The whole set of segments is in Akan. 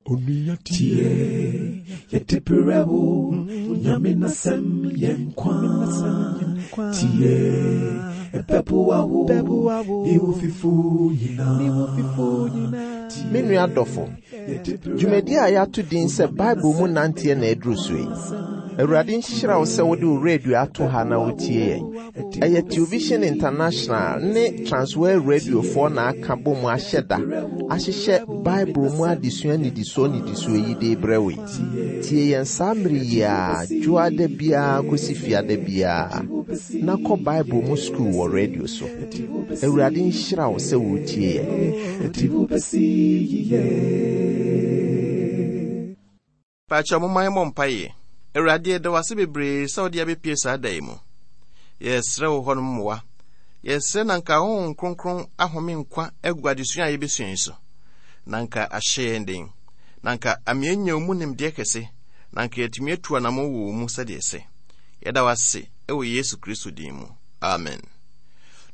Tie, yɛde brɛ wo, Nyame n'asɛm yɛ nkwa. Tie, ɛbɛboa wo, ne wo fifo nyinaa. Me nua dɔfo, dwumadi a yɛato din sɛ Bible mu nanteɛ na aduru so yi. Awurade nhyira wo sɛ wode wo radio ato ha na wotie yɛn. Ɛyɛ Television International ne Transworld Radiofoɔ na aka bɔ mu ahyɛ da ahyehyɛ Bible mu adesua nnidisoɔ nnidisoɔ yi de rebrɛ wo yi. Tie yɛn saa mmere yi ara, dwoada biara kɔsi fiada biara, na kɔ Bible mu sukuu wɔ radio so. Awurade nhyira wo sɛ woretie yɛn. Paakyɛw momma yɛmmɔ mpaeɛ. Awurade, yɛda wo ase bebree sɛ wode abɛpie saa da yi mu. Yɛsrɛ wo hɔnom mmoa. Yɛsrɛ na nka Honhom Kronkron ahome nkwa agu adesua a yɛbɛsua yi so. Na nka ahyɛ yɛn den. Na nka ama yɛanya wo mu nimdeɛ kɛse. Na nka yɛatumi atu anammɔn wɔ wo mu sɛdeɛ ɛsɛ. Yɛda wo ase wɔ Yesu Kristo din mu. Amen.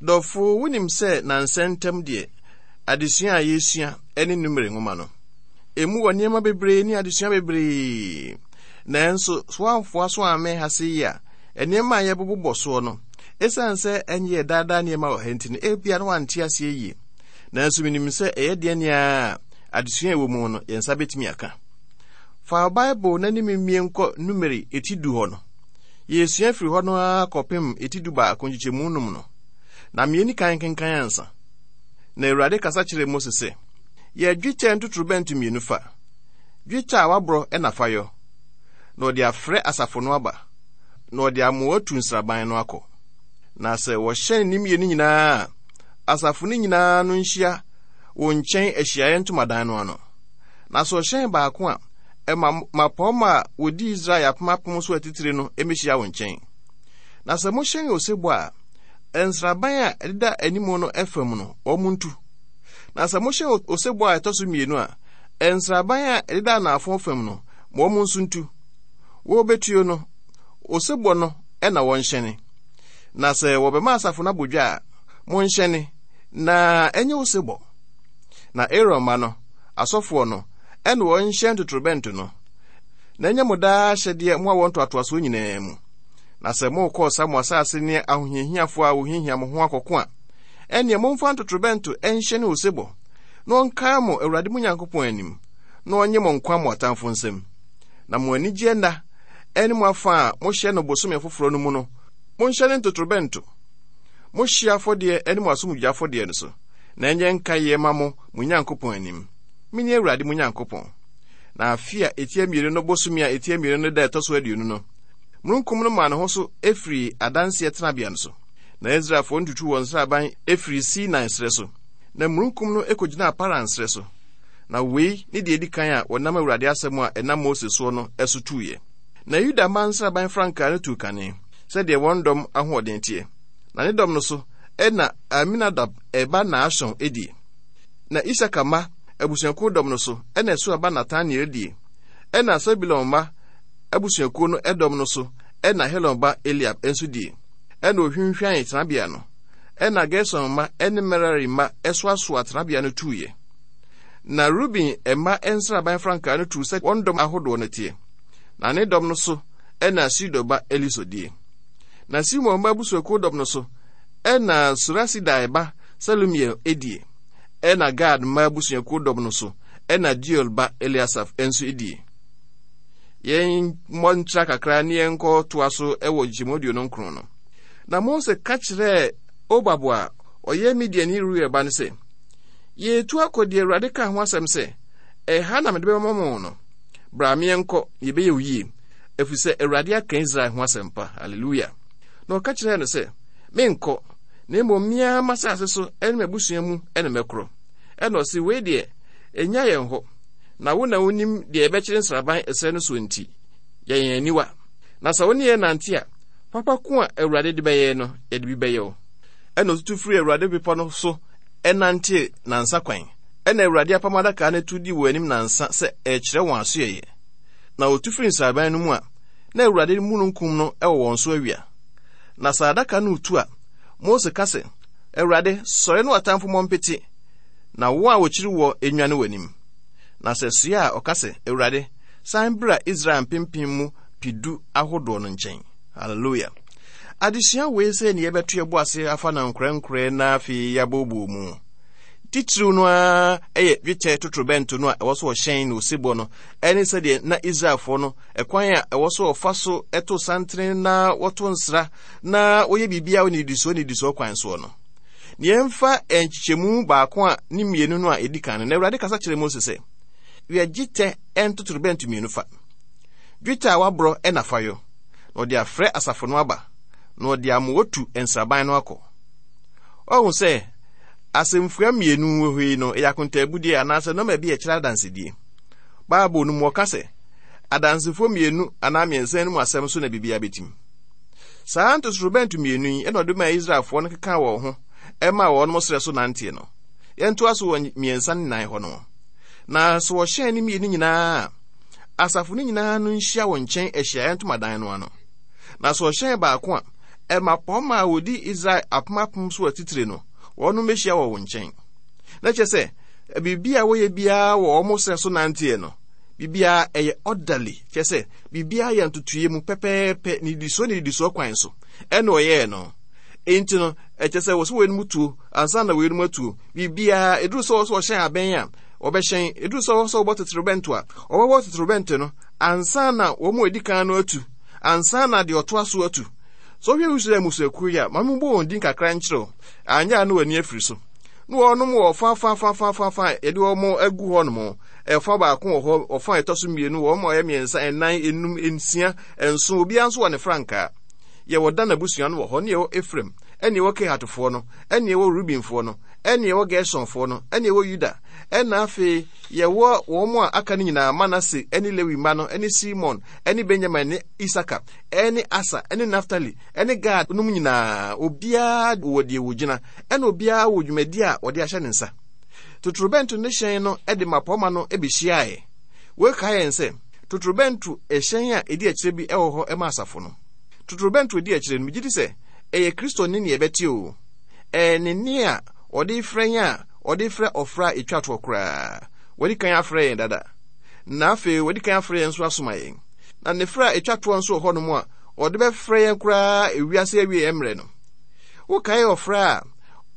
Dɔfo, wonim sɛ nansa ntam deɛ adesua a yɛresua ne Numere nwoma no. Emu wɔ nneɛma bebree ne adesua bebree. Nanso, so woamfoa so ammɛn ha sei a, nneɛma a yɛbobobɔ soɔ no, esiane sɛ ɛnyɛ yɛ daadaa nneɛma wɔ ha nti no, ebia na wante aseɛ yie. Nanso menim sɛ ɛyɛ deɛ nea adesua a ɛwɔ mu no, yɛn nsa bɛtumi aka. Fa Bible na ne mmie nkɔ Numeri eti du hɔ no. Yɛresua firi hɔ no ara kɔpem eti du baako nkyekyɛmu num no. Na mmieni kan kenkan ansa. Na Awurade kasa kyerɛɛ Mose sɛ, Yɛ dwetɛ ntotorobɛnto mmienu fa, dwetɛ a wɔaborɔ na fa yɔ, na wɔde afrɛ asafo no aba, na wɔde amoa atu nsraban no akɔ. Na sɛ wɔhyɛn ne mmienu nyinaa a, asafo no nyinaa no nhyia wo nkyɛn ahyiaeɛ ntomadan no ano. Na sɛ ɔhyɛn baako a, ɛma mmapɔmma a wɔdi Israel apem apem so atitire no mmɛhyia wo nkyɛn. Na sɛ mohyɛn osebɔ a, nsraban a ɛdeda anim no fam no, wɔn ntu. Na sɛ mohyɛ osebɔ a ɛtɔ so mmienu a, nsraban a ɛdeda anaafo fam no, ma wɔn nso ntu. Wɔrebetuo no, osebɔ no na wɔnhyɛne. Na sɛ wɔbɛma asafo no abɔ dwa a, monhyɛne, na ɛnyɛ osebɔ. Na Aaron mma no, asɔfoɔ no, ɛna wɔnhyɛn ntotorobɛnto no. Na ɛnyɛ mo daa ahyɛdeɛ mo awoɔ ntoatoasoɔ nyinaa mu. Na sɛ morekɔ ɔsa mo asase ne ahohiahiafoɔ a wɔhiahia mo ho akɔko a, ɛnneɛ momfa ntotorobɛnto nhyɛne osebɔ, na ɔnkae mo Awurade mo Nyankopɔn anim, na ɔnnye mo nkwa mo atamfo nsam. Na mo anigyeɛ nna ne mo afa a mohyɛ no bosome foforɔ no mu no, monhyɛne ntotorobɛnto, mo hyeɛ afɔdeɛ ne mo asomdwoeɛ afɔdeɛ no so, na ɛnyɛ nkaeɛ ma mo mo Nyankopɔn anim. Mene Awurade mo Nyankopɔn. Na afe a ɛtia mmienu no bosome a ɛtia mmienu no da ɛtɔ so aduonu no, mununkum no maa ne ho so firii adanseɛ tenabea no so. Na Israelfoɔ no tutuu wɔn nsraban firii Sinai serɛ so, na mununkum no kɔgyinaa Paran serɛ so. Na wei ne deɛ ɛdi kan a wɔnam Awurade asɛm a ɛnam Mose soɔ no so tuiɛ. Na Yuda mma nsraban frankaa no tuu kane, sɛdeɛ wɔn dɔm ahoɔden teɛ. Na ne dɔm no so na Aminadab ba Nahson die. Na Isakar mma abusuakuo dɔm no so na Suar ba Nataneel die. Ɛnna Sebulon mma abusuakuo no dɔm no so na Helon ba Eliab nso die. Ɛnna ohwinhwan tenabea no. Ɛnna Gerson mma ne Merari mma soasoaa tenabea no tuiɛ. Na Ruben mma nsraban frankaa no tuu sɛ wɔn dɔm ahodoɔ no teɛ. Na ne dɔm no so na Sido ba Elisur die. Na Simeon mma abusuakuo dɔm no so na Surasidai ba Selumiel die. Ɛnna Gad mma abusuakuo dɔm no so na Deuel ba Eliasaf nso die. Yɛmmɔ ntra kakra ne yɛnkɔ toa so wɔ nkyɛmu aduonu nkron no. Na Mose ka kyerɛɛ Hobab a ɔyɛ Midianni Reuel ba no sɛ, Yɛretu akɔ deɛ Awurade kaa ho asɛm sɛ, 'Ɛha na mede bɛma mo no. Bra ma yɛnkɔ, na yɛbɛyɛ wo yie, ɛfiri sɛ Awurade aka Israel ho asɛmpa. Haleluya! Na ɔka kyerɛɛ no sɛ, Menkɔ, na mmom me ara m'asase so ne m'abusua mu na mɛkorɔ. Ɛnna ɔse, Wei deɛ, ɛnnya yɛn hɔ, na wo na wonim deɛ yɛbɛkyere nsraban ɛserɛ no soɔ nti, yɛ yɛn aniwa. Na sɛ wo ne yɛn nante a, papa ko a Awurade de bɛyɛ no, yɛde bi bɛyɛ wo. Ɛnna ɔtutu firii Awurade bepɔ no so nantee nnansa kwan. Ɛnna Awurade apam adaka no tu dii wɔn anim nnansa sɛ ɛrekyerɛ wɔn asoɛeɛ. Na wɔtu firii nsraban no mu a, na Awurade mununkum no wɔ wɔn so awia. Na sɛ adaka no retu a, Mose ka sɛ, Awurade, sɔre na w'atamfo mmɔ mpete, na wɔn a wɔkyiri woɔ nnwane w'anim. Na sɛ soa a, ɔka sɛ, Awurade, san bra Israel mpempem mu pedu ahodoɔ no nkyɛn. Hallelujah. Adesua wei sɛ ne yɛbɛto yɛbo ase afa no nkorɛnkorɛ na afei yɛabɔɔbɔɔ mu. Titiriw no ara yɛ dwetɛ totorobɛnto no a ɛwɔ so ɔhyɛn na osebɔ no, ɛne sɛdeɛ na Israelfoɔ no ɛkwan a ɛwɔ so ɔfa so to santene na wɔto nsra na wɔyɛ biribiara wɔ nnidisoɔ nnidisoɔ kwan soɔ no. Na yɛmfa nkyekyɛmu baako a ne mmienu no a ɛdi kan no, na Awurade kasa kyerɛ Mose sɛ, Yɛ dwetɛ ntotorobɛnto mmienu fa. Dwetɛ a waborɔ na fa yɔ, na ɔde afrɛ asafo no aba, na ɔde amoa tu nsraban no akɔ. Ɔhu sɛ asɛmfua mmienu wɔ hɔ yi no, ɛyɛ akontaabudeɛ anaasɛ nɔma bi a ɛkyerɛ adansedie. Bible no mu ɔka sɛ, adansefoɔ mmienu anaa mmiɛnsa no mu asɛm so na biribiara bɛtim. Saa ntotorobɛnto mmienu yi na ɔde maa Israelfoɔ no kekaa wɔn ho maa wɔn serɛ so nanteɛ no. Yɛntoa so wɔ mmiɛnsa ne nan hɔ no. Na sɛ wɔhyɛn ne mmienu nyinaa a, asafo no nyinaa no nhyia wɔ nkyɛn ahyiaeɛ ntomadan no ano. Na sɛ ɔhyɛn baako a, mmapɔmma a wɔdi Israel apem apem so atitire no, wɔnom bɛhyia wɔ wo nkyɛn. Na kyerɛ sɛ, biribi a wɔyɛ biara wɔ wɔn serɛ so nanteɛ no, biribiara ɛyɛ orderly, kyerɛ sɛ, biribiara yɛ ntotoeɛ mu pɛpɛɛpɛ, nnidisoɔ nnidisoɔ kwan so, ɛna ɔyɛɛ no. Enti no, ɛkyɛ sɛ wɔ sɛ wɔnom tuo, ansa na wɔnom atuo. Biribiara, ɛduru sɛ wɔ sɛ wɔhyɛn abɛn a, wɔbɛhyɛn. Ɛduru sɛ wɔ sɛ wɔbɔ totorobɛnto a, wɔbɛbɔ totorobɛnto no, ansa na wɔn a ɛdi kan no atu, ansa na deɛ ɔtoa so atu. Sɛ wohwɛ Israel mmusuakuo yi a, ma mebɔ wɔn din kakra nkyerɛ wo, anyɛ a na w'ani afiri so. Na wɔnom wɔ fa fa fa fa fa fa a yɛde wɔn agu hɔ nom. Ɛfa baako wɔ hɔ, ɔfa a ɛtɔ so mmienu, wɔn a wɔyɛ mmiɛnsa, ɛnan, enum, nsia, nson, obiara nso wɔ ne frankaa. Yɛwɔ Dan abusua no wɔ hɔ, ne yɛwɔ Efraim, ɛne yɛwɔ Kehatfoɔ no, ɛne yɛwɔ Rubenfoɔ no, ɛne yɛwɔ Gersonfoɔ no, ɛne yɛwɔ Yuda, ɛna afei yɛwɔ wɔn a aka no nyinaa, Manase ne Lewi mma no, ne Simon ne Benyamin ne Isaka ne Asa ne Naftali ne Gad nom nyinaa, obiara wɔ deɛ wɔgyina, ɛna obiara wɔ dwumadi a wɔde ahyɛ ne nsa. Totorobɛnto ne hyɛn no de mmapɔmma no bɛhyiaeɛ. Wei kae yɛn sɛ totorobɛnto hyɛn a ɛdi akyire bi wɔ hɔ ma asafo no. Totorobɛnto ɛdi akyire no, megye di sɛ ɛyɛ Kristo nne ne ɛbɛte o. Ɛyɛ ne nne a ɔde frɛ yɛn a ɔde frɛ ɔfrɛ a ɛtwa toɔ koraa. Wadi kan afrɛ yɛn dada. Na afei wadi kan afrɛ yɛn nso asoma yɛn. Na ne frɛ a ɛtwa toɔ nso wɔ hɔnom a ɔde bɛfrɛ yɛn koraa ewiase awieɛ mmerɛ no. Wokae ɔfrɛ a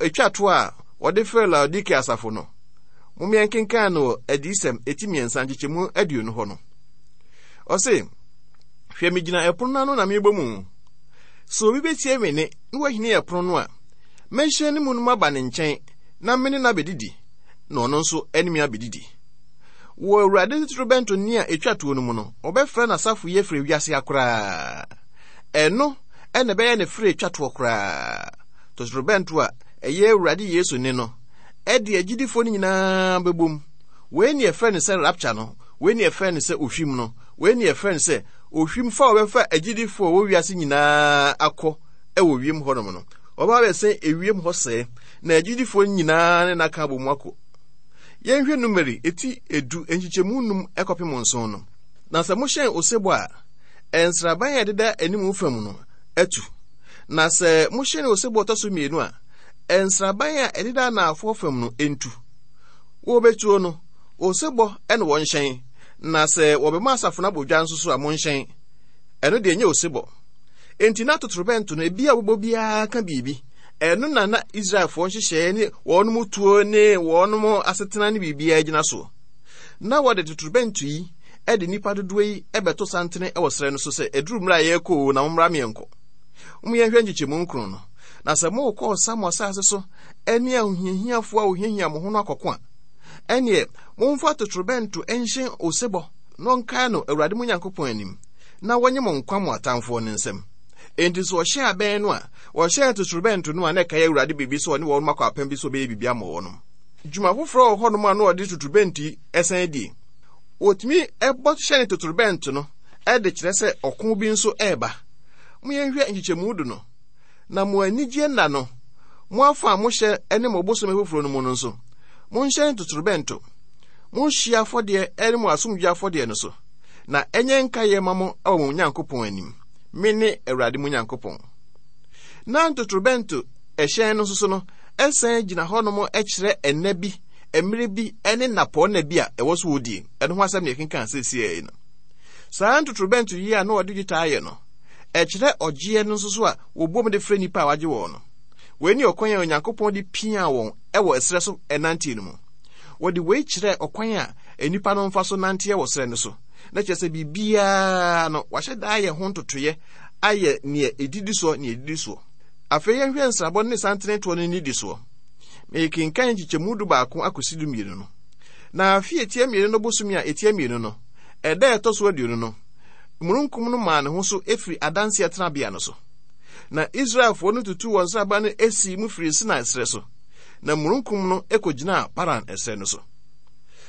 ɛtwa toɔ a wɔde frɛɛ Laodikea asafo no? Mom yɛnkenkan no wɔ Adiyisɛm eti mmiɛnsa nkyekyɛmu 20 hɔ no. Ɔse, Hwɛ megyina ɛpono no ano na mebɔ mu. Sɛ obi bɛtie me nne na wahini ɛpono no a, mɛhyɛn ne mu no maba ne nkyɛn na me ne no abɛdidi, na ɔno nso ne me abɛdidi. Wɔ Awurade totorobɛnto nne a ɛtwa toɔ no mu no, ɔbɛfrɛ n'asafo yi afiri wiase ha koraa. Ɛno na ɛbɛyɛ ne frɛ ɛtwa toɔ koraa. Totorobɛnto a ɛyɛ Awurade Yesu nne no, ɛde agyidifoɔ no nyinaa bɛbom. Wei ne ɛfrɛ no sɛ rapture no, wei ne ɛfrɛ no sɛ ohwim no, wei ne ɛfrɛ no sɛ ohwim fa a wɔbɛfa agyidifoɔ a wɔwɔ wiase nyinaa akɔ wɔ wiem hɔnom no. Wɔbɛba abɛsɛn ewiem hɔ sɛɛ, na agyidifoɔ nyinaa ne n'aka abɔ mu akɔ. Yɛnhwɛ Numeri eti edu nkyekyɛmu num kɔpem nson no. Na sɛ mohyɛn osebɔ a, nsraban a ɛdeda anim fam no atu. Na sɛ mohyɛn osebɔ ɔtɔ so mmienu a, nsraban a ɛdeda anaafoɔ fam no ntu. Wɔbɛtuo no, osebɔ na wɔnhyɛn, na sɛ wɔbɛma asafo no abɔ dwa nso so a, monhyɛn. Ɛno deɛ ɛnyɛ osebɔ. Enti na totorobɛnto no, ebi a wɔbɔ biara ka biribi. Ɛno na na Israelfoɔ nhyehyɛeɛ ne wɔn tuo ne wɔn asetena ne biribiara gyina soɔ. Na wɔde totorobɛnto yi de nnipa dodoɔ yi bɛto santene wɔ serɛ no so sɛ ɛduru mmerɛ a yɛrekɔ o na mommra meɛnkɔ. Mom yɛnhwɛ nkyekyɛmu nkron no. Na sɛ morekɔ ɔsa mo asase so ne ahohiahiafoɔ a wɔhiahia mo ho no akɔko a, ɛneɛ momfa totorobɛnto nhyɛn osebɔ na ɔnkae no Awurade mo Nyankopɔn anim, na wɔnye mo nkwa mo atamfoɔ no nsam. Enti sɛ ɔhyɛn abɛn no a, wɔhyɛn totorobɛnto no a na ɛkae Awurade biribi sɛ ɔne wɔn akɔ apam bi sɛ ɔbɛyɛ biribi ama wɔn. Dwuma foforɔ wɔ hɔnom a na ɔde totorobɛnto yi san die. Wɔtumi bɔ hyɛn totorobɛnto no de kyerɛ sɛ ɔko bi nso reba. Mo yɛnhwɛ nkyekyɛmu du no. Na mo anigyeɛ nna no, mo afa a mohyɛ ne mo bosome foforɔ no mu no nso, monhyɛn totorobɛnto, mo hyeɛ afɔdeɛ ne mo asomdwoeɛ afɔdeɛ no so, na ɛnyɛ nkaeɛ ma mo wɔ mo Nyankopɔn anim. Mene Awurade mo Nyankopɔn. Na ntotorobɛnto hyɛn no nso so no, ɛsan gyina hɔnom kyerɛ ɛnna bi mmerɛ bi ne nnapɔnna bi a ɛwɔ so wɔdie. Ɛno ho asɛm na yɛkenkan seesei yi no. Saa ntotorobɛnto yi a na wɔde dwetɛ ayɛ no, ɛkyerɛ ɔgyeɛ no nso so a wɔbom de frɛ nnipa a wɔagye wɔn no. Wei ne ɔkwan a Onyankopɔn de piaa wɔn wɔ ɛserɛ so nanteɛ no mu. Wɔde wei kyerɛɛ ɔkwan a nnipa no mfa so nanteɛ wɔ serɛ no so. Na kyerɛ sɛ biribiara no, wɔahyɛ da ayɛ ho ntotoeɛ ayɛ neɛ ɛdidi soɔ ne ɛdidi soɔ. Afei yɛnhwɛ nsrabɔ no ne santene toɔ no nnidisoɔ. Mekenkan nkyekyɛmu 11 akɔsi 12 no. Na afe a ɛtia mmienu no bosome a ɛtia mmienu no, ɛda a ɛtɔ so 20 no, mununkum no maa ne ho so firi adanseɛ tenabea no so. Na Israelfoɔ no tutuu wɔn nsraban no sii mu firii Sinai serɛ so, na mununkum no kɔgyinaa Paran ɛserɛ no so.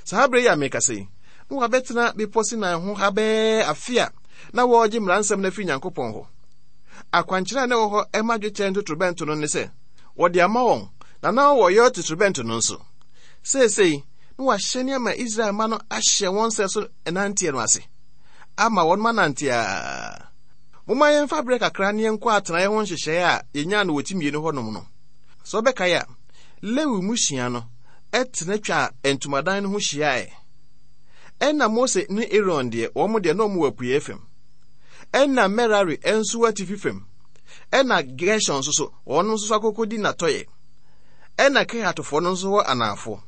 Saa berɛ yi a merekasa yi, na wɔabɛtena Bepɔ Sinai ho ha bɛyɛ afe a na wɔregye mmara nsɛm no afiri Nyankopɔn hɔ. Akwankyerɛ a na ɛwɔ hɔ ma dwetɛ ntotorobɛnto no ne sɛ wɔde ama wɔn, na na wɔyɛ totorobɛnto no nso. Seesei, na wɔahyɛ ama Israel mma no ahyɛ wɔn sɛ so nanteɛ no ase, ama wɔn anante a. Momma yɛmfa berɛ kakra ne yɛnkɔ atenaeɛ ho nhyehyɛeɛ a yɛnyaa no wɔ ti mmienu hɔnom no. Sɛ wobɛkae a, Lewi mmusua no tena twaa ntomadan no ho hyiaeɛ. Ɛnna Mose ne Aaron deɛ, wɔn deɛ na wɔn wɔ apueeɛ fam. Ɛnna Merari nso wɔ atifi fam. Ɛnna Gershon nso so, wɔn nso so akɔkɔdi n'atɔeɛ. Ɛnna Kehatfoɔ no nso wɔ anaafoɔ.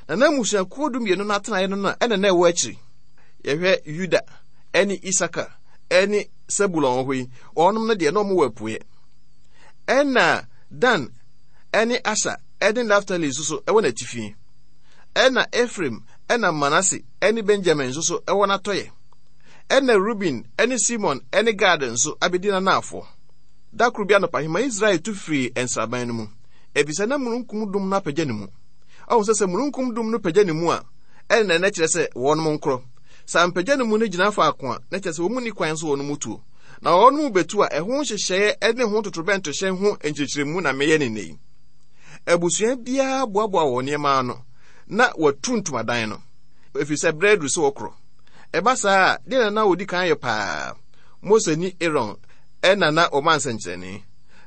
Na na mmusuakuo 12 no atenaeɛ no na ɛna na ɛwɔ akyiri. Yɛhwɛ Yuda ne Isakar ne Sebulon wɔ hɔ yi, wɔnom no deɛ na wɔn wɔ apueɛ. Ɛnna Dan ne Aser ne Naftali nso so wɔ n'atifi. Ɛnna Efraim na Manase ne Benyamin nso so wɔ n'atɔeɛ. Ɛnna Ruben ne Simon ne Gad nso abɛdi n'anaafoɔ. Da koro bi anɔpahema Israel tu firii nsraban no mu, efisɛ na mununkum dum no apagya ne mu. Ɔhu sɛ sɛ mununkum dum no pagya ne mu a, ɛnna na ɛkyerɛ sɛ wɔnom nkorɔ. Sɛ ampagya ne mu no gyina faako a, na kyerɛ sɛ wɔn nni kwan so wɔnom tuo. Na wɔnom betu a, ɛho nhyehyɛeɛ ne ho totorobɛntohyɛn ho nkyerɛkyerɛmu na meyɛ ne nnɛ yi. Abusua biara boaboa wɔn nneɛma ano na wɔatu ntomadan no, ɛfiri sɛ berɛ aduru sɛ wɔkorɔ. Ɛba saa a, deɛ na na wɔdi kan yɛ paa? Mose ne Aaron na na wɔma nsɛnkyerɛnne,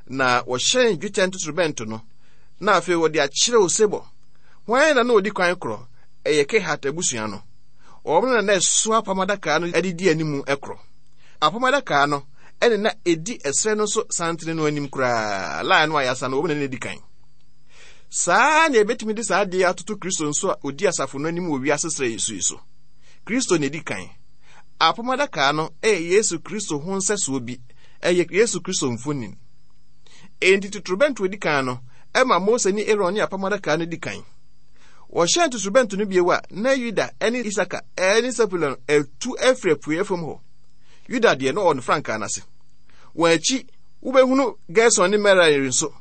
na wɔhyɛn dwetɛ ntotorobɛnto no, na afei wɔde akyerɛ osebɔ. Hwan na na wɔdi kan korɔ? Ɛyɛ Kehat abusua no. Wɔn na na ɛso apam adaka no de di anim korɔ. Apam adaka no ɛne na ɛdi ɛserɛ no so santene no anim koraa, line no a yɛasa no, wɔn na na ɛdi kan. Saa na yɛbɛtumi de saa adeɛ atoto Kristo nso a ɔdi asafo no anim wɔ wiase serɛ yi so yi so. Kristo na ɛdi kan. Apam adaka no yɛ Yesu Kristo ho nsɛsoɔ bi. Ɛyɛ Yesu Kristo mfonin. Enti totorobɛnto a ɛdi kan no ɛma Mose ne Aaron ne apam adaka no di kan. Wɔhyɛn totorobɛnto no bio a, na Yuda ne Isaka ne Sebulon atu afiri apueeɛ fam hɔ. Yuda deɛ, na ɔwɔ ne frankaa no ase. Wɔn akyi, wobɛhunu Gerson ne Merari nso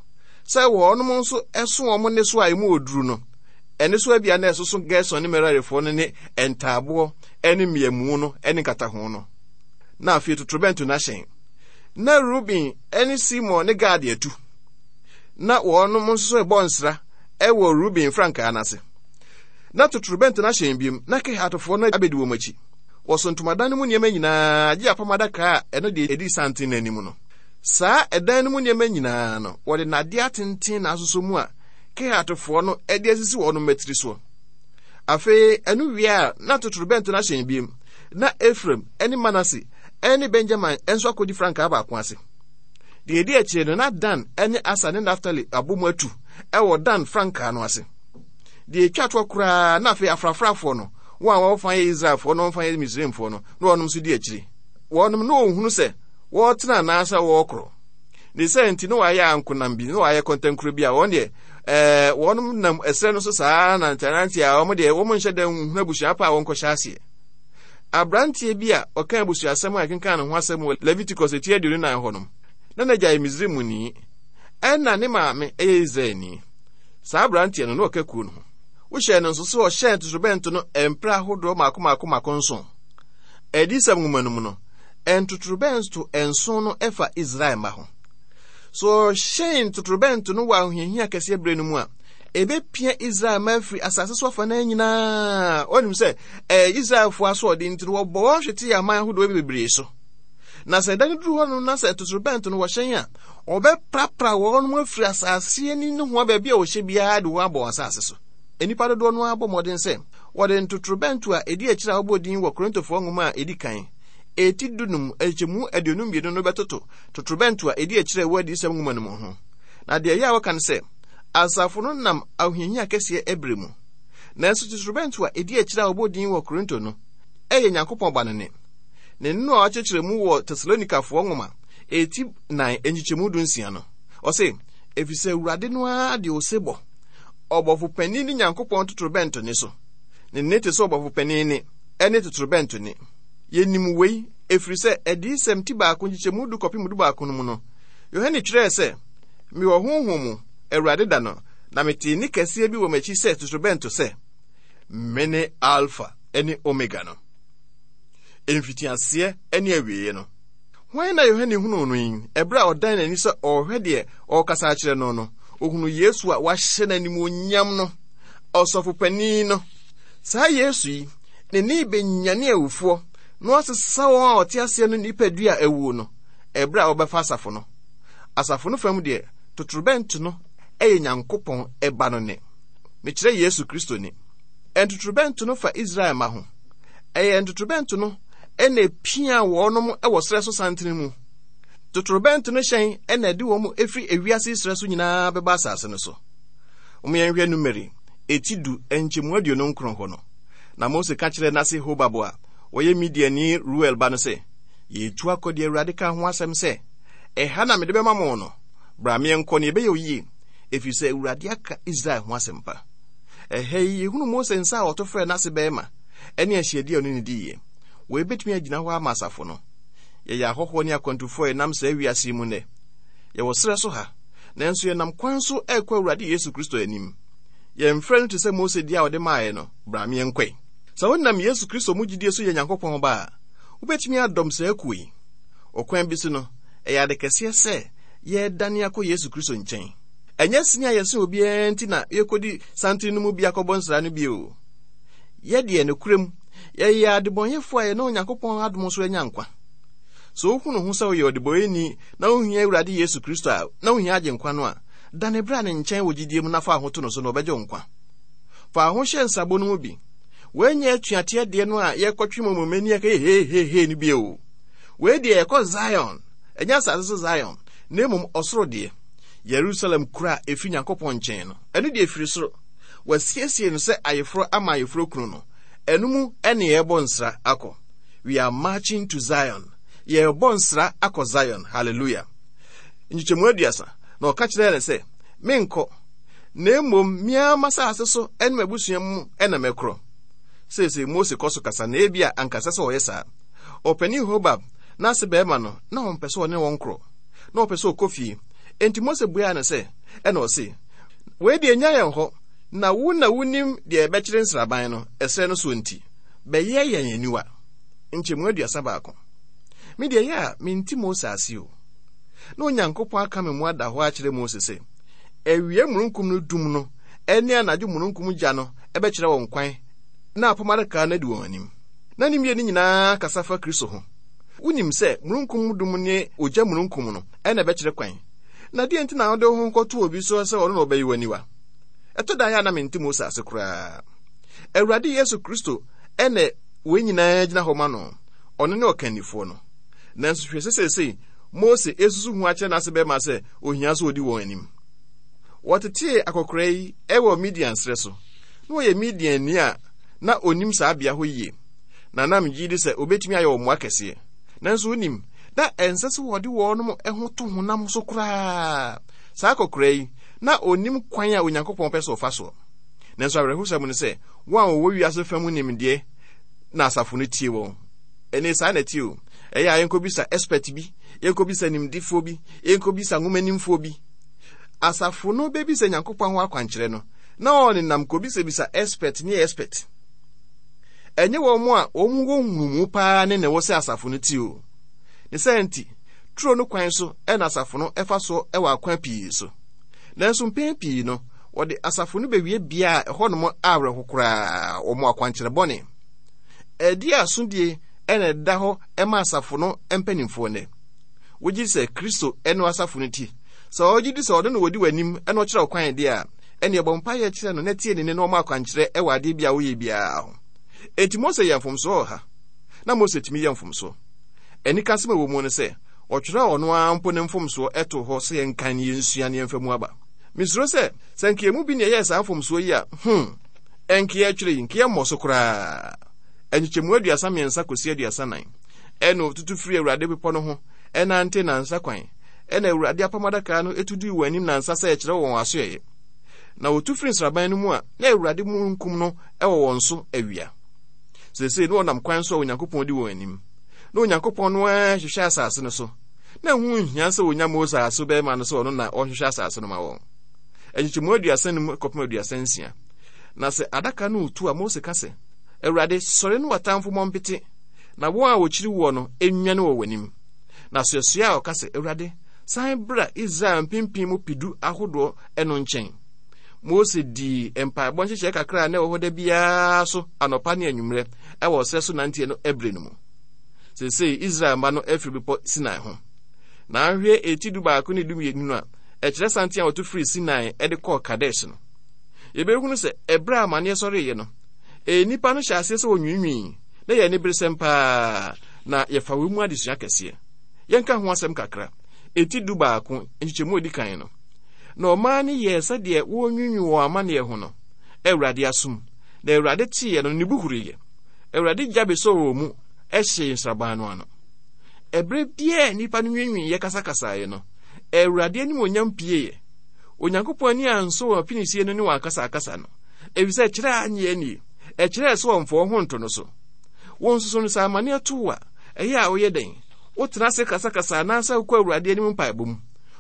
sɛ wɔnom nso so wɔn nnesoa a emu wɔ duru no. Nnesoa bi a na ɛsoso Gerson ne Merarifoɔ no ne ntaaboɔ ne mmeamu no ne nkataho no. Na afei totorobɛnto no ahyɛn. Na Ruben ne Simon ne Gad atu. Na wɔnom nso rebɔ nsra wɔ Ruben frankaa no ase. Na totorobɛnto no ahyɛn biom, na Kehatfoɔ no abɛdi wɔn akyi. Wɔso ntomadan no mu nneɛma nyinaa, gye apam adaka a ɛno deɛ ɛdi santen no anim no. Saa ɛdan no mu nneɛma nyinaa no, wɔde nnadeɛ atenten na asosɔ mu a Kehatfoɔ no de asisi wɔn mmatiri soɔ. Afei ɛno wie a, na totorobɛnto no ahyɛn biom, na Efraim ne Manase ne Benyamin nso akɔdi frankaa baako ase. Deɛ ɛdi akyire no, na Dan ne Aser ne Naftali abɔ mu atu wɔ Dan frankaa no ase. Deɛ ɛtwa toɔ koraa, na afei afrafrafoɔ no, wɔn a wɔfa yɛ Israelfoɔ na wɔfa yɛ Misraimfoɔ no, na wɔnom nso di akyire. Wɔnom na wɔhunu sɛ wɔretena anaasɛ wɔrekorɔ. Ne sɛ nti na wɔayɛ ankonam bi, na wɔayɛ kɔntɛnkorɔ bi a wɔn deɛ ɛɛ wɔnom nam ɛserɛ no so saa nantenante a wɔn deɛ wɔn nhyɛ da nhunu abusua pa a wɔnkɔhyɛ aseɛ. Aberanteɛ bi a ɔka abusuasɛm a ɛkenkan ne ho asɛm wɔ Leviticus eti 24 hɔ nom, na n'agya yɛ Misraimni, ɛna ne maame yɛ Israelni. Saa aberanteɛ no, na ɔka kuo no ho. Wohyɛɛ no nso sɛ ɔhyɛn totorobɛnto no mprɛ ahodoɔ mmaako mmaako mmaako nson. Adiyisɛm nwoma no mu no, ntotorobɛnto nson no fa Israel mma ho. So ɔhyɛn totorobɛnto no wɔ ahohiahia kɛseɛ berɛ no mu a, ɛbɛpia Israel mma afiri asase so afanan nyinaa. Wɔnim sɛ ɛyɛ Israelfoɔ asoɔden nti no, wɔbɔ wɔn hwete aman ahodoɔ bebree so. Na sɛ ɛda no duru hɔ no na sɛ totorobɛnto no wɔhyɛn a, wɔbɛprapra wɔn afiri asase ani nohoa baabi a wɔhyɛ biara de wɔn abɔ wɔn asase so. Nnipa dodoɔ no ara bɔ mmɔden sɛ wɔde ntotorobɛnto a ɛdi akyire a wɔbɔ din wɔ Korintofoɔ nwoma a ɛdi kan, eti dunum, nkyekyɛmu 22 no bɛtoto totorobɛnto a ɛdi akyire a ɛwɔ Adiyisɛm nwoma no mu ho. Na deɛ ɛyɛ a wɔka ne sɛ, asafo no nam ahohiahia kɛseɛ ɛberɛ mu. Nanso totorobɛnto a ɛdi akyire a wɔbɔ din wɔ Korinto no yɛ Nyankopɔn Ba no nne. Ne nne a wɔakyerɛkyerɛ mu wɔ Tesalonikafoɔ nwoma eti nan nkyekyɛmu 16 no. Ɔse, Efisɛ Awurade no ara de osebɔ, ɔbɔfo panin ne Nyankopɔn totorobɛnto nne so. Ne nne te sɛ ɔbɔfo panin nne ne totorobɛnto nne. Yenim wei, ɛfiri sɛ Adiyisɛm ti baako nkyekyɛmu du kɔpem 11 no mu no, Yohane twerɛɛ sɛ, Mewɔ Honhom mu, Awurade da no, na metee nne kɛseɛ bi wɔ m'akyi sɛ totorobɛnto sɛ, Mene Alfa ne Omega no, mfitiaseɛ ne awieeɛ no. Hwan na Yohane hunuu no yi? Ɛberɛ a ɔdan n'ani sɛ ɔrehwɛ deɛ ɔrekasa akyerɛ no no, ɔhunuu Yesu a wahyɛ no animuonyam no, ɔsɔfo panin no. Saa Yesu yi, ne nne bɛnyane awufoɔ na wasesa wɔn a wɔte aseɛ no nipadua a awuo no, ɛberɛ a wɔbɛfa asafo no. Asafo no fam deɛ, totorobɛnto no yɛ Nyankopɔn Ba no nne. Mekyerɛ Yesu Kristo nne. Ntotorobɛnto no fa Israel mma ho. Ɛyɛ ntotorobɛnto no na epia wɔnom wɔ serɛ so santene mu. Totorobɛnto no hyɛn na ɛde wɔn firi ewiase serɛ so nyinaa bɛba asase no so. Momma yɛnhwɛ Numeri eti du nkyɛmu 29 hɔ no. Na Mose ka kyerɛɛ n'ase Hobab a ɔyɛ Midianni Reuel ba no sɛ, Yɛretu akɔ deɛ Awurade kaa ho asɛm sɛ, 'Ɛha na mede bɛma mo no. Bra ma yɛnkɔ na yɛbɛyɛ wo yie, ɛfiri sɛ Awurade aka Israel ho asɛmpa. Ɛha yi, yɛhunu Mose nsa a ɔto frɛɛ n'ase barima ne ahyiadi a ɔne no diiɛ. Wei bɛtumi agyina hɔ ama asafo no. Yɛyɛ ahɔhoɔ ne akwantufoɔ a yɛnam saa wiase yi mu nnɛ. Yɛwɔ serɛ so ha, nanso yɛnam kwan so rekɔ Awurade Yesu Kristo anim. Yɛn frɛ no te sɛ Mose deɛ a ɔde maaeɛ no, Bra me yɛnkɔe. Sɛ wonam Yesu Kristo mu gyidie so yɛ Nyankopɔn ba a, wobɛtumi adɔm saa kuo yi. Ɔkwan bi so no, ɛyɛ ade kɛseɛ sɛ yɛredane akɔ Yesu Kristo nkyɛn. Ɛnyɛ sene a yɛsen obiara nti na yɛkɔdi santene no mu bi akɔbɔ nsra no bio. Yɛ deɛ nokorɛm, yɛyɛ adebɔnyɛfoɔ a yɛne Onyankopɔn adom so anya nkwa. Sɛ wohunu ho sɛ woyɛ ɔdebɔyɛni na wohia Awurade Yesu Kristo a, na wohia Agyenkwa no a, dane bra ne nkyɛn wɔ gyidie mu na fa wo ho to no so na ɔbɛgye wo nkwa. Fa wo ho hyɛ nsrabɔ no mu bi. Wei nyɛ atuateɛ deɛ no a yɛkɔtwe mɔmɔmani a ɛkɛyɛ hehehe no bio. Wei deɛ yɛkɔ Zion, ɛnyɛ asase so Zion, na mmom ɔsoro deɛ. Yerusalem kuro a ɛfiri Nyankopɔn nkyɛn no, ɛno deɛ ɛfiri soro. Wɔasiesie no sɛ ayeforɔ ama ayeforɔ kunu no. Ɛno mu ɛne yɛrebɔ nsra akɔ. We are marching to Zion. Yɛrebɔ nsra akɔ Zion. Hallelujah. Nkyekyɛmu 30. Na ɔka kyerɛɛ no sɛ, Menkɔ, na mmom me ara m'asase so ne m'abusua mu na mɛkorɔ. Seesei Mose kɔ so kasa na ebia anka ɛsɛ sɛ ɔyɛ saa. Ɔpanin Hobab, n'ase barima no, na ɔmpɛ sɛ ɔne wɔn korɔ. Na ɔpɛ sɛ ɔkɔ fie. Enti Mose buaa no sɛ, Ɛna ɔse, Wei deɛ nnya yɛn hɔ, na wo na wunim deɛ ɛbɛkyere nsraban no, ɛserɛ no soɔ nti, bɛyɛ yɛn aniwa. Nkyɛmu 31. Me deɛ ɛyɛ a mente Mose ase o. Na Onyankopɔn aka me mu ada hɔ akyerɛ Mose sɛ, awia mununkum no dum no ne anadwo mununkum gya no bɛkyerɛ wɔn kwan na apam adaka no adi wɔn anim. Na ne mmienu nyinaa kasa fa Kristo ho. Wonim sɛ mununkum dum ne ogya mununkum no na ɛbɛkyerɛ kwan. Na deɛn nti na wode wo ho kɔto obi so sɛ ɔno na ɔbɛyi w'aniwa? Ɛtɔ da yɛ a na mente Mose ase koraa. Awurade Yesu Kristo na wei nyinaa gyina hɔ ma no. Ɔno ne ɔkannifoɔ no. Nanso hwɛ sɛ seesei Mose resusu ho akyerɛ n'ase bɛrima sɛ ohia sɛ odi wɔn anim. Wɔtetee akɔkoraa yi wɔ Midian serɛ so. Na ɔyɛ Midianni a na onim saa bea hɔ yie, na na megye di sɛ obetumi ayɛ wɔn mmoa kɛseɛ. Nanso wonim, na ɛnsɛ sɛ wɔde wɔn ho to honam so koraa. Saa akɔkoraa yi, na onim kwan a Onyankopɔn pɛ sɛ ɔfa soɔ. Nanso awerɛhosɛm ne sɛ, wɔn a wɔwɔ wiase fa mu nimdeɛ na asafo no tie wɔn. Ɛne saa na ɛte o. Ɛyɛ a yɛnkɔbisa expert bi, yɛnkɔbisa nimdefoɔ bi, yɛnkɔbisa nwomanimfoɔ bi. Asafo no bɛbisa Nyankopɔn ho akwankyerɛ no, na ɔnenam kɔbisabisa expert ne expert. Ɛnyɛ wɔn a wɔn wɔ nhunumu paa ne na ɛwɔ sɛ asafo no ti o. Ne saa nti, turo no kwan so na asafo no fa so wɔ akwan pii so. Nanso mpɛn pii no, wɔde asafo no bɛwie bea a ɛhɔnom awerɛho koraa, wɔn akwankyerɛ bɔne. Ɛde asodie na ɛda hɔ ma asafo no mpanimfoɔ nnɛ. Wogye di sɛ Kristo ne asafo no ti. Sɛ ɔgye di sɛ ɔno na ɔdi w'anim na ɔkyerɛ wo kwan deɛ a, Ɛnneɛ bɔ mpaeɛ kyerɛ no na tie ne nne na ɔma akwankyerɛ wɔ adeɛ bi a woyɛ biara ho. Enti Mose yɛɛ mfomsoɔ wɔ ha. Na Mose tumi yɛ mfomsoɔ. Anikasɛm a ɛwɔ mu ne sɛ, ɔtwerɛɛ ɔno ara mpo ne mfomsoɔ too hɔ sɛ yɛnkan na yɛnsua na yɛmfa mu aba. Mesuro sɛ, sɛ anka yɛn mu bi na ɛyɛɛ saa mfomsoɔ yi a, hmm, ɛnka yɛretwerɛ yi, nka yɛmmɔ so koraa. Nkyekyɛmu 33 kɔsi 34. Ɛnna ɔtutu firii Awurade bepɔ no ho nantee nnansa kwan. Ɛnna Awurade apam adaka no tu dii wɔn anim nnansa sɛ ɛkyerɛ wɔn asoɛeɛ. Na wɔtu firi nsraban no mu a, na Awurade mununkum no wɔ wɔn so awia. Seesei na wɔnam kwan so a Onyankopɔn di wɔn anim. Na Onyankopɔn no ara hwehwɛ asase no so. Na ɛho nhia sɛ wɔnya Mose aso bɛrima no sɛ ɔno na ɔnhwehwɛ asase no ma wɔn. Nkyekyɛmu 35 kɔpem 36. Na sɛ adaka no retu a, Mose ka sɛ, Awurade, sɔre ne w'atamfo mmɔ mpete, na wɔn a wɔkyiri woɔ no nnwane wɔ w'anim. Na soɛsoɛ a ɔka sɛ, Awurade, san bra Israel mpempem mu pedu ahodoɔ no nkyɛn. Mose dii mpaebɔ nhyehyɛe kakra a na ɛwɔ hɔ da biara so anɔpa ne anwummerɛ wɔ ɔserɛ so nanteɛ no ɛberɛ no mu. Seesei Israel mma no afiri bepɔ Sinai ho. Na ahwɛ eti 11 ne 12 no a ɛkyerɛ santen a wɔto firii Sinai de kɔɔ Kadesh no. Yɛbɛhunu sɛ ɛberɛ a amaneɛ sɔreeɛ no, nnipa no hyɛ aseɛ sɛ wɔnwiinwii na yɛ aniberesɛm paa na yɛfa wei mu adesua kɛseɛ. Yɛnka ho asɛm kakra. Eti 11 nkyekyɛmu a ɛdi kan no. Na ɔman no yɛɛ sɛdeɛ wɔrenwiinwii wɔn amanneɛ ho no, Awurade asom. Na Awurade teeɛ no, ne bo huruiɛ. Awurade gya bɛsɔɔ wɔn mu hyee nsraban no ano. Ɛberɛ biara a nnipa no nwiinwiiɛ kasakasaeɛ no, Awurade animuonyam pieeɛ. Onyankopɔn ani ansɔ wɔn apinisie no ne wɔn akasakasa no, efisɛ ɛkyerɛ a anyɛ annie. Ɛkyerɛɛ sɛ wɔmfa wɔn ho nto no so. Wo nso so no, sɛ amanneɛ to wo a, ɛyɛ a woyɛ dɛn? Wotena ase kasakasa anaasɛ wokɔ Awurade anim mpaebɔ mu?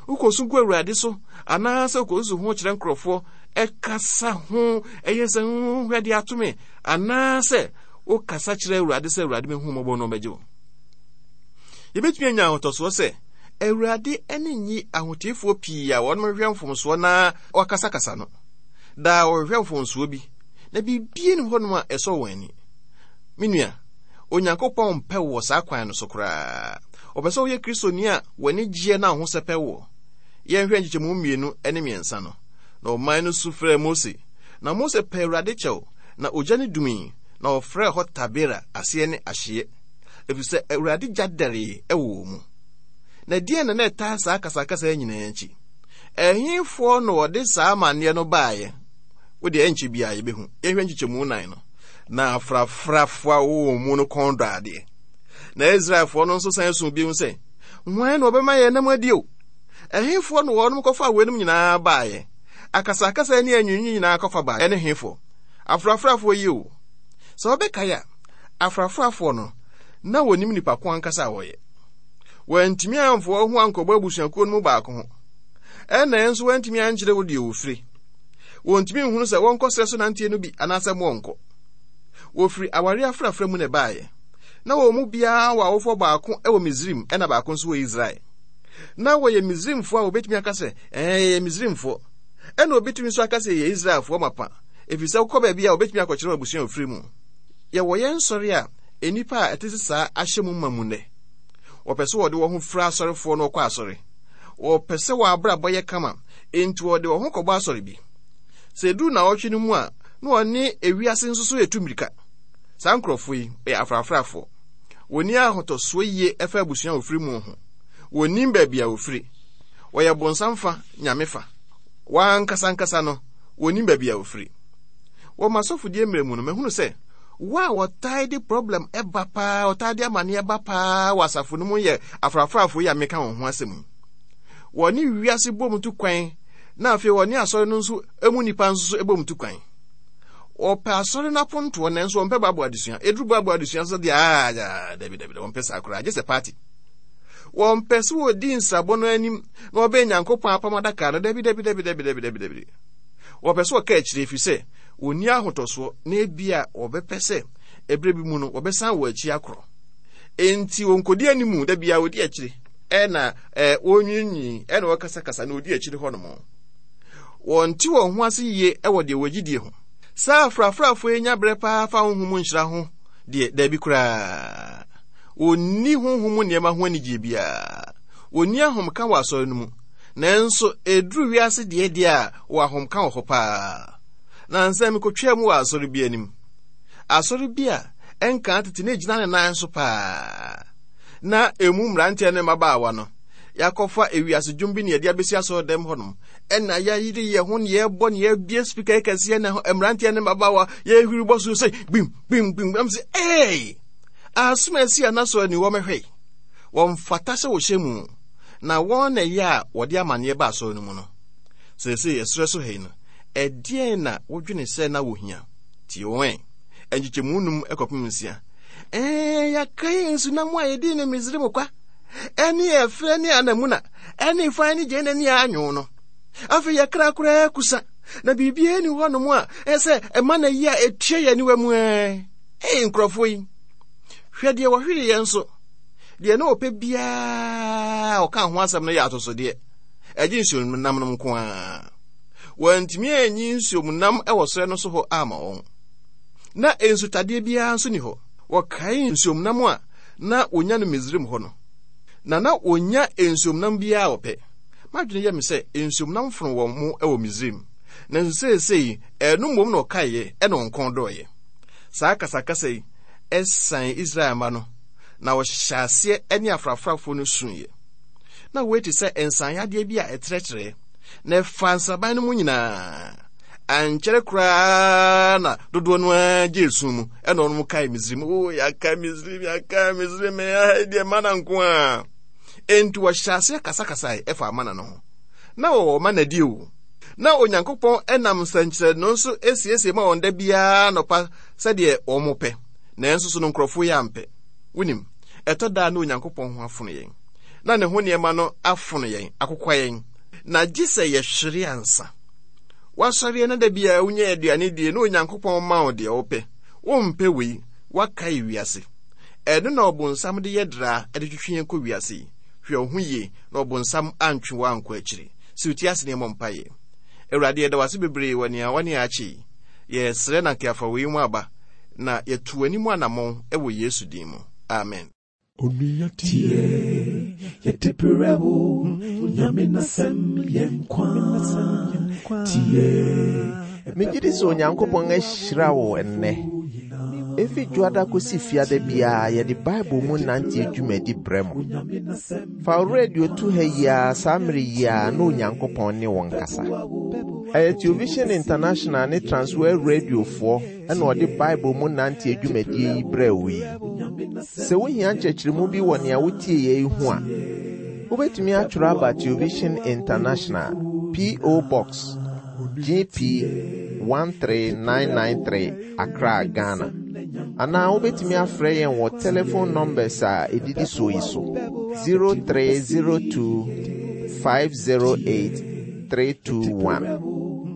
Wokɔsu gu Awurade so anaasɛ wokɔsusu ho kyerɛ nkurɔfoɔ ɛkasa ho ɛyɛ sɛ hwɛ de ato me anaasɛ wokasa kyerɛ Awurade sɛ Awurade mehu mmɔbɔ no ɔbɛgye wo? Yɛbɛtumi anya ahotɔsoɔ sɛ Awurade ani nnye ahoteefoɔ pii a wɔnom hwehwɛ mfomsoɔ na wɔakasakasa no. Daa wɔhwehwɛ mfomsoɔ bi na biribi nni hɔnom a ɛsɔ wɔn ani. Me nua, Onyankopɔn mpɛ wo wɔ saa kwan no so koraa. Ɔpɛ sɛ woyɛ Kristoni a w'ani gyeɛ na wo ho sɛpɛ woɔ. Yɛnhwɛ nkyekyɛmu 2 ne 3 no. Na ɔman no su frɛɛ Mose, na Mose pɛɛ Awurade kyɛw, na ogya no dumii, na ɔfrɛɛ hɔ Tabera, aseɛ ne ahyeɛ, ɛfiri sɛ Awurade gya dɛree wɔ wɔn mu. Na ɛdeɛn na na ɛtaa saa akasakasa yi nyinaa akyi? Ɛhefoɔ na wɔde saa amanneɛ no baeɛ? Wo deɛ ɛnkyɛ biara yɛbɛhu. Yɛnhwɛ nkyekyɛmu 4 no. Na afrafrafoɔ a wɔwɔ wɔn mu no kɔn dɔ adeɛ. Na Israelfoɔ no nso san suu bio sɛ, Hwan na ɔbɛma yɛn nam adi o? Ɛhefoɔ na wɔnom kɔfaa weinom nyinaa baeɛ? Akasakasa ne anwiinwii nyinaa kɔfa baeɛ ne hefoɔ? Afrafrafoɔ yi o! Sɛ wobɛkae a, afrafrafoɔ no, na wɔnim nipa ko ankasa a wɔyɛ. Wɔantumi amfa wɔn ho ankɔbɔ abusuakuo no mu baako ho. Ɛnna nso wɔantumi ankyerɛ wo deɛ wɔfiri. Wɔntumi nhunu sɛ wɔnkɔ serɛ so nanteɛ no bi anaasɛ wɔnkɔ. Wɔfiri awareɛ afrafra mu na ɛbaeɛ. Na wɔn mu biara wɔ awofoɔ baako wɔ Misraim ɛna baako nso wɔ Israel. Na wɔyɛ Misraimfoɔ a wɔbɛtumi aka sɛ, ɛɛ yɛyɛ Misraimfoɔ. Ɛna wɔbɛtumi nso aka sɛ yɛyɛ Israelfoɔ mapa, ɛfiri sɛ wokɔ baabi a wɔbɛtumi akɔkyerɛ abusua a wɔfiri mu. Yɛwɔ yɛn nsɔre a nnipa a ɛte sɛ saa ahyɛ mu ma mu nnɛ. Wɔpɛ sɛ wɔde wɔn ho fira asɔrefoɔ na wɔkɔ asɔre. Wɔpɛ sɛ wɔn abrabɔ yɛ kama, enti wɔde wɔn ho kɔbɔ asɔre bi. Sɛ ɛduru nnawɔtwe no mu a, na wɔne ewiase nso so retu mmirika. Saa nkurɔfoɔ yi yɛ afrafrafoɔ. Wɔnni ahotɔsoɔ yie ɛfa abusua a wɔfiri mu ho. Wɔnnim baabi a wɔfiri. Wɔyɛ bonsam fa, nyame fa. Wɔn ankasa ankasa no, wɔnnim baabi a wɔfiri. Wɔ m'asɔfodie mmerɛ mu no, mahunu sɛ wɔn a wɔtaa de problem ba paa, wɔtaa de amaneɛ ba paa wɔ asafo no mu yɛ afrafrafoɔ yi a meka wɔn ho asɛm yi. Wɔne wiase bom tu kwan, na afei wɔne asɔre no nso mu nnipa nso so bom tu kwan. Wɔpɛ asɔre no apontoɔ nanso wɔmpɛ Bible adesua. Ɛduru Bible adesua nso deɛ aa dabi dabi wɔmpɛ saa koraa, gye sɛ party. Wɔmpɛ sɛ wɔdi nsrabɔ no anim na wɔbɛn Nyankopɔn apam adaka no, dabi dabi dabi dabi dabi dabi dabi. Wɔpɛ sɛ wɔka akyire ɛfiri sɛ wɔnni ahotɔsoɔ na ebia wɔbɛpɛ sɛ ɛberɛ bi mu no wɔbɛsan wɔn akyi akorɔ. Enti wɔnkɔdi anim da biara wɔdi akyire ɛna wɔnwiinwii ɛna wɔkasakasa na wɔdi akyire hɔnom. Wɔnte wɔn ho ase yie wɔ deɛ wɔgye die ho. Saa afrafrafoɔ yi nya berɛ paa fa honhom mu nhyira ho deɛ, daabi koraa. Wɔnni honhom mu nneɛma ho anigyeɛ biara. Wɔnni ahomka wɔ asɔre no mu. Nanso ɛduru wiase deɛ deɛ a, wɔ ahomka wɔ hɔ paa. Nansa mekɔtwaa mu wɔ asɔre bi anim. Asɔre bi a ɛnkaa tete na ɛgyina ne nan so paa. Na ɛmu mmeranteɛ ne mmabaawa no, yɛakɔfa ewiase dwom bi ne yɛde abɛsi asɔre dɛm hɔnom. Ɛna yɛayere yɛn ho ne yɛbɔ ne yɛabie spika kɛseɛ na mmeranteɛ ne mmabaawa yɛhwiri bɔ so sɛ gbim gbim gbim. Ɛm sɛ ee asom asi a n'asɔre ni wɔmɛhwɛ wɔmfata sɛ wɔhyɛ mu na wɔn na ɛyɛ a wɔde amanneɛ ba asɔre no mu no. Seesei ɛserɛ so ha yi no, ɛdeɛn na wodwene sɛ na wɔhia? Tie wɔn ɛ. Nkyekyɛmu num kɔpem nsia. Ɛɛ, yɛakae nsunam a yɛdii no Misraim kwa, ɛne ɛferɛ ne anamuna, ɛne fan ne gyeene ne anwo no. Afei yɛkra koraa kusa, na biribiara ni hɔnom a ɛsɛ ɛma na yi a ɛtua yɛn aniwa mu ɛ. Ee, nkurɔfoɔ yi, hwɛ deɛ wɔhwere yɛn nso. Deɛ na ɔpɛ biara ɔka ho asɛm no yɛ atosodeɛ. Ɛgye nsuomnam no nko ara. Wɔantumi anyi nsuomnam wɔ serɛ no so hɔ ama wɔn. Na nsutadeɛ biara nso ni hɔ. Wɔkae nsuomnam a na wɔnya no Misraim hɔ no, na na wɔnya nsuomnam biara a wɔpɛ. M'adwene yɛ me sɛ nsuomnam fono wɔn mo wɔ Misraim, nanso seesei ɛno mmom na wɔkaeɛ ɛna wɔn kɔn dɔeɛ. Saa akasakasa yi san Israel mma no, na wɔhyɛ aseɛ ne afrafrafoɔ no suiɛ. Na wei te sɛ nsanyadeɛ bi a ɛtrɛtrɛɛ, na ɛfaa nsraban no mu nyinaa. Ankyɛre koraa na dodoɔ no ara gye esu mu, ɛna wɔn kae Misraim. O, yɛaka Misraim, yɛaka Misraim, ɛha deɛ mana nko ara. Enti wɔhyɛ aseɛ kasakasae ɛfa mana no ho. Na wɔwɔ mana di o. Na Onyankopɔn nam nsɛnkyerɛnne so siesie ma wɔn da biara anɔpa sɛdeɛ wɔn pɛ. Nanso so no nkurɔfoɔ yi ampɛ. Wonim, ɛtɔ da a na Onyankopɔn ho afono yɛn. Na ne ho nneɛma no afono yɛn, akokwa yɛn. Na gye sɛ yɛhwere ansa. Woasɔreɛ na da biara wonya aduane die na Onyankopɔn ma wo deɛ wopɛ. Wompɛ wei, woakae wiase. Ɛno na ɔbonsam de yɛ draa de twetwe yɛn kɔ wiase yi. Hwɛ wo ho yie na ɔbonsam antwe wo ankɔ akyiri. Si wo ti ase na yɛmmɔ mpaeɛ. Awurade, yɛda wo ase bebree wɔ nea woane yɛn akyɛ yi. Yɛsrɛ na anka yɛafa wei mu aba na yɛtu w'anim anammɔn wɔ Yesu din mu. Amen. Onua tie, yɛde brɛ wo, Nyame n'asɛm yɛ nkwa. Tie. Megye di sɛ Onyankopɔn ahyira wo nnɛ. Efi Dwoada kosi Fiada biara yɛde Bible mu nante dwumadi brɛ mo. Fa wo radio to ha yi ara saa mmere yi ara na Onyankopɔn ne wo nkasa. Ɛyɛ Television International ne Transworld Radiofoɔ na ɔde Bible mu nante dwumadie yi brɛɛ wo yi. Sɛ wohia nkyerɛkyerɛmu bi wɔ nea wotieeɛ yi ho a, wobɛtumi atwerɛ aba Television International, P.O. Box, GP 13993, Accra, Ghana. Anaa wobɛtumi afrɛ yɛn wɔ telephone numbers a ɛdidi soɔ yi so 0302 508 321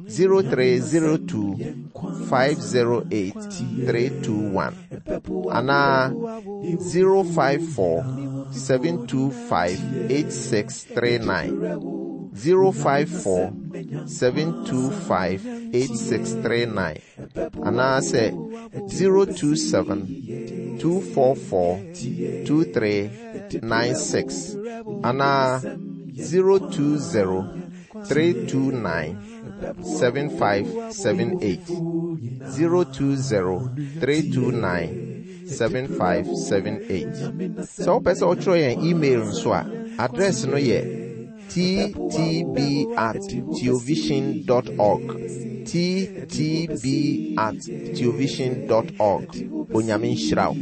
0302 508 321 anaa 054 725 8639 054 725 8639 anaasɛ 027 244 2396 anaa 020 329 7578 020 329 7578. Sɛ wopɛ sɛ wotwerɛ yɛn email nso a, address no yɛ ttb at theovision dot org. ttb at theovision dot org. Onyame nhyira wo.